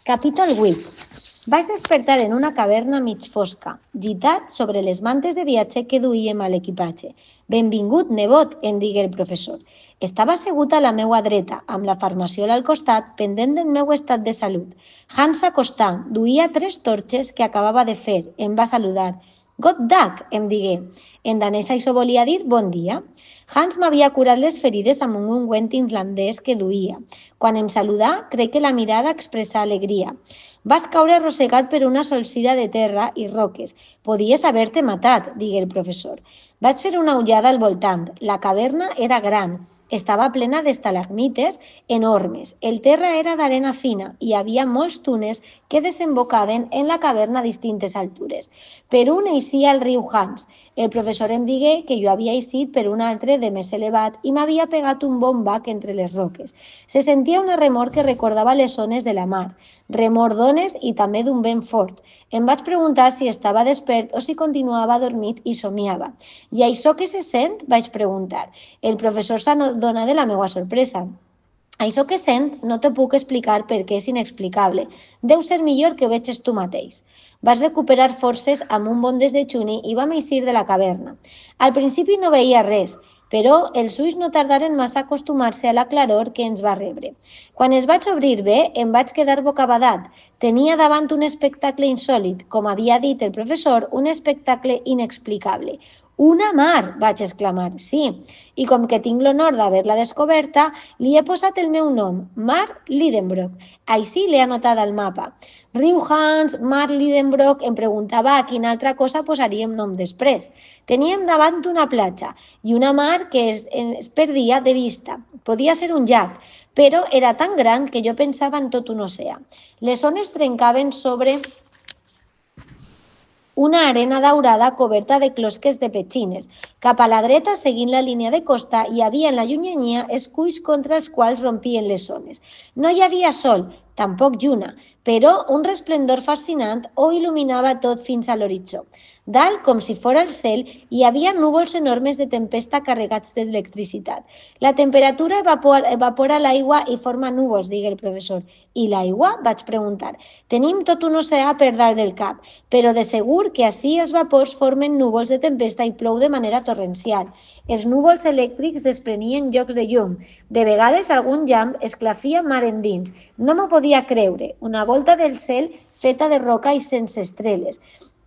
Capítol 8. Vaig despertar en una caverna mig fosca, gitat sobre les mantes de viatge que duíem a l'equipatge. «Benvingut, nebot», em digué el professor. Estava assegut a la meua dreta, amb la farmaciola al costat, pendent del meu estat de salut. Hans s'acostà, duia 3 torxes que acabava de fer. Em va saludar. «God dag», em digué. En danès això volia dir bon dia. Hans m'havia curat les ferides amb un ungüent irlandès que duia. Quan em saludà, crec que la mirada expressà alegria. Vas caure arrossegat per una solsida de terra i roques. Podies haver-te matat, digué el professor. Vaig fer una ullada al voltant. La caverna era gran. Estava plena d'estalagmites enormes. El terra era d'arena fina i hi havia molts túnels que desembocaven en la caverna a distintes altures. Per un eixia el riu Hans. El professor em digué que jo havia eixit per un altre de més elevat i m'havia pegat un bon bac entre les roques. Se sentia una remor que recordava les ones de la mar, remor d'ones i també d'un vent fort. Em vaig preguntar si estava despert o si continuava adormit i somiava. «I això què se sent?», vaig preguntar. El professor s'adonà de la meva sorpresa. «Això que sent no t'ho puc explicar perquè és inexplicable. Deu ser millor que ho veges tu mateix». Vaig recuperar forces amb un bon desdejuni i vam eixir de la caverna. Al principi no veia res, però els ulls no tardaren massa a acostumar-se a la claror que ens va rebre. Quan es vaig obrir bé, em vaig quedar bocabadat. Tenia davant un espectacle insòlit, com havia dit el professor, un espectacle inexplicable. «Una mar!», vaig exclamar. «Sí, i com que tinc l'honor d'haver-la descoberta, li he posat el meu nom, Mar Lidenbrock. Així l'he anotat al mapa. Riu Hans, Mar Lidenbrock, em preguntava a quina altra cosa posaríem nom després. Teníem davant una platja i una mar que es perdia de vista. Podia ser un llac, però era tan gran que jo pensava en tot un oceà. Les ones trencaven sobre una arena daurada coberta de closques de petxines. Cap a la dreta, seguint la línia de costa, hi havia en la llunyania esculls contra els quals rompien les ones. No hi havia sol, tampoc lluna, però un resplendor fascinant ho il·luminava tot fins a l'horitzó. Dalt, com si fora el cel, hi havia núvols enormes de tempesta carregats d'electricitat. La temperatura evapora l'aigua i forma núvols, digué el professor. I l'aigua? Vaig preguntar. Tenim tot un oceà per dalt del cap, però de segur que ací els vapors formen núvols de tempesta i plou de manera torrencial. Els núvols elèctrics desprenien llocs de llum. De vegades algun llamp esclafia mar endins. No m'ho podia creure. Una volta del cel feta de roca i sense estrelles.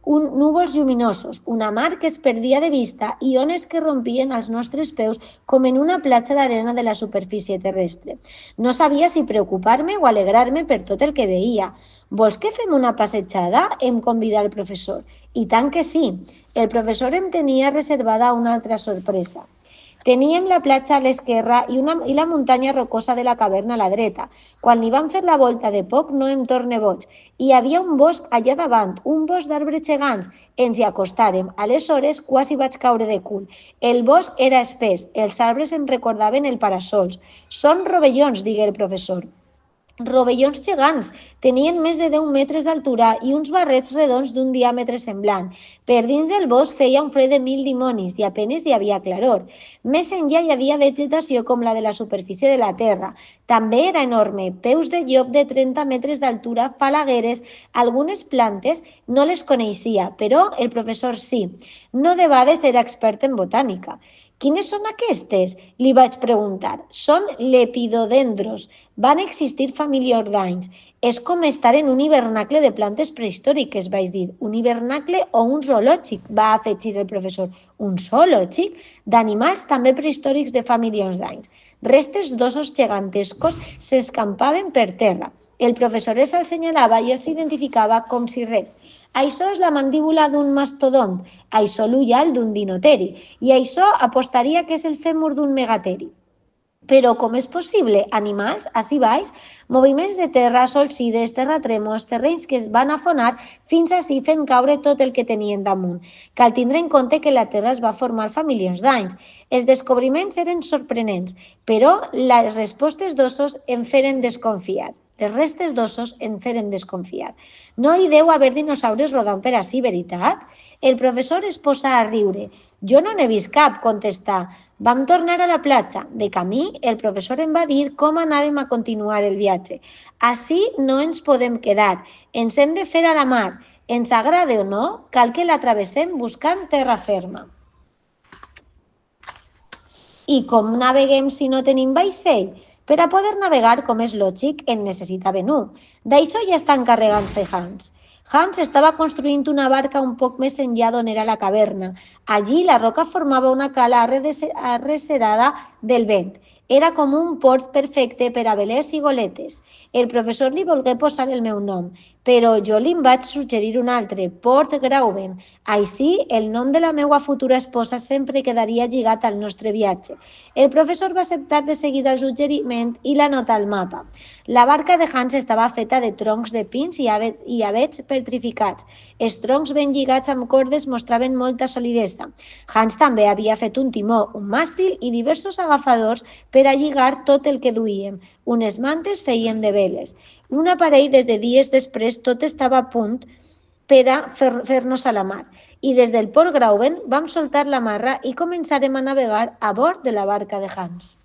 Núvols lluminosos, una mar que es perdia de vista i ones que rompien als nostres peus com en una platja d'arena de la superfície terrestre. No sabia si preocupar-me o alegrar-me per tot el que veia. «Vols que fem una passejada?», em convidà el professor. I tant que sí. El professor em tenia reservada una altra sorpresa. Teníem la platja a l'esquerra i la muntanya rocosa de la caverna a la dreta. Quan li vam fer la volta de poc no em torne boig. Hi havia un bosc allà davant, un bosc d'arbres gegants. Ens hi acostàrem. Aleshores quasi vaig caure de cul. El bosc era espès. Els arbres em recordaven el parasols. «Són rovellons», digué el professor. Rovellons gegants. Tenien més de 10 metres d'altura i uns barrets redons d'un diàmetre semblant. Per dins del bosc feia un fred de 1000 dimonis i apenes hi havia claror. Més enllà hi havia vegetació com la de la superfície de la terra. També era enorme, peus de llop de 30 metres d'altura, falagueres, algunes plantes no les coneixia, però el professor sí. No debades era expert en botànica. «Quines són aquestes?», li vaig preguntar. «Són lepidodendros. Van existir fa milions d'anys. És com estar en un hivernacle de plantes prehistòriques», vaig dir. «Un hivernacle o un zoològic?», va afegir el professor. «Un zoològic? D'animals també prehistòrics de fa milions d'anys». Restes d'ossos gegantescos s'escampaven per terra. El professor els assenyalava i els identificava com si res. «Això és la mandíbula d'un mastodont, això l'ull alt d'un dinoteri, i això apostaria que és el fèmur d'un megateri». «Però com és possible? Animals? Ací baix? Moviments de terra, solsides, terratrèmols, terrenys que es van afonar fins ací fent caure tot el que tenien damunt. Cal tindre en compte que la Terra es va formar fa milions d'anys. Els descobriments eren sorprenents, però les respostes d'ossos em feren desconfiar. Les restes d'ossos en feren desconfiar. «No hi deu haver dinosaures rodant per ací, veritat?». El professor es posà a riure. «Jo no n'he vist cap», contestà. Vam tornar a la platja. De camí, el professor em va dir com anàvem a continuar el viatge. Ací no ens podem quedar, ens hem de fer a la mar. Ens agrade o no, cal que la travessem buscant terra ferma. I com naveguem si no tenim vaixell? Per a poder navegar, com és lògic, en necessitaven un. D'això ja està encarregant-se Hans. Hans estava construint una barca un poc més enllà d'on era la caverna. Allí la roca formava una cala arrecerada del vent. Era com un port perfecte per a velers i goletes. El professor li volgué posar el meu nom, però jo li vaig suggerir un altre, Port Grauben. Així, el nom de la meva futura esposa sempre quedaria lligat al nostre viatge. El professor va acceptar de seguida el suggeriment i l'anota al mapa. La barca de Hans estava feta de troncs de pins i avets petrificats. Els troncs ben lligats amb cordes mostraven molta solidesa. Hans també havia fet un timó, un màstil i diversos agafadors per a lligar tot el que duíem. Unes mantes feien de veles. Un aparell des de dies després tot estava a punt per a fer-nos a la mar. I des del Port Grauben vam soltar la marra i començarem a navegar a bord de la barca de Hans.